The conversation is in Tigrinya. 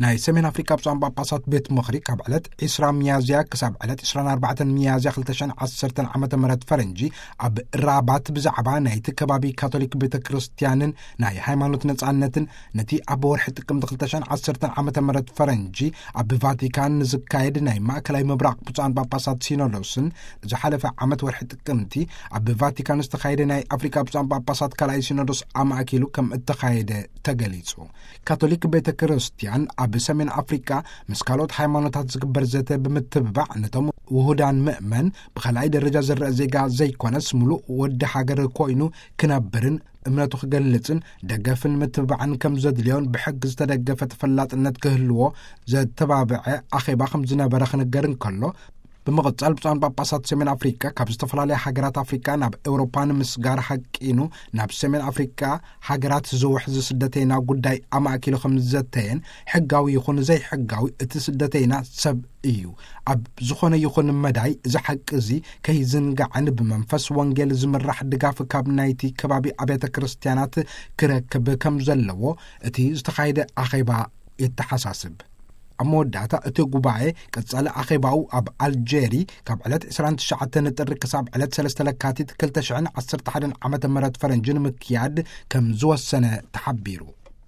ናይ ሰሜን ኣፍሪካ ብፁዓን ጳጳሳት ቤት ምኽሪ ካብ ዕለት ዕስራ ሚያዝያ ክሳብ ዕለት ዕስራን ኣርባዕተን ሚያዝያ ክልተ ሽሕን ዓሰርተን ዓመተ ምህረት ፈረንጂ ኣብ ራባት ብዛዕባ ናይቲ ከባቢ ካቶሊክ ቤተ ክርስቲያንን ናይ ሃይማኖት ነጻነትን፣ ነቲ ኣብ ወርሒ ጥቅምቲ ክልተ ሽሕን ዓሰርተን ዓመተ ምህረት ፈረንጂ ኣብ ቫቲካን ንዝካየድ ናይ ማእከላይ ምብራቕ ብፁዓን ጳጳሳት ሲኖዶስን ዝሓለፈ ዓመት ወርሒ ጥቅምቲ ኣብ ቫቲካን ዝተኻየደ ናይ ኣፍሪካ ብፁዓን ጳጳሳት ካልኣይ ሲኖዶስ ኣማእኪሉ ከም እተኻየደ ተገሊጹ። ካቶሊክ ቤተ ክርስቲያን ኣብ ሰሜን ኣፍሪካ ምስ ካልኦት ሃይማኖታት ዝግበር ዘተ ብምትብባዕ፣ ነቶም ውሁዳን ምእመን ብኻልኣይ ደረጃ ዝረአ ዜጋ ዘይኮነስ፣ ምሉእ ወዲ ሃገር ኮይኑ ክነብርን እምነቱ ክገልጽን ደገፍን ምትብባዕን ከም ዘድልዮን ብሕጊ ዝተደገፈ ተፈላጥነት ክህልዎ ዘተባብዐ ኣኼባ ከም ዝነበረ ክንገር እንከሎ፣ ብምቕጻል ብፁዓን ጳጳሳት ሰሜን ኣፍሪካ ካብ ዝተፈላለያ ሃገራት ኣፍሪካ ናብ ኤውሮፓ ንምስጋር ሃቂኑ ናብ ሰሜን ኣፍሪካ ሃገራት ዝውሕዝ ስደተይና ጉዳይ ኣማእኪሉ ከም ዝዘተየን፣ ሕጋዊ ይኹን ዘይሕጋዊ እቲ ስደተይና ሰብ እዩ። ኣብ ዝኾነ ይኹን መዳይ እዚ ሓቂ እዚ ከይዝንጋዕን ብመንፈስ ወንጌል ዝምራሕ ድጋፍ ካብ ናይቲ ከባቢ ኣብያተ ክርስቲያናት ክረክብ ከም ዘለዎ እቲ ዝተኻየደ ኣኼባ የተሓሳስብ። ኣብ መወዳእታ እቲ ጉባኤ ቀጻሊ ኣኼባኡ ኣብ ኣልጄሪ ካብ ዕለት ዕስራን ትሽዓተን ጥሪ ክሳብ ዕለት ሰለስተ ለካቲት ክልተ ሽሕን ዓሰርተ ሓደን ዓመተ ምህረት ፈረንጂ ንምክያድ ከም ዝወሰነ ተሓቢሩ።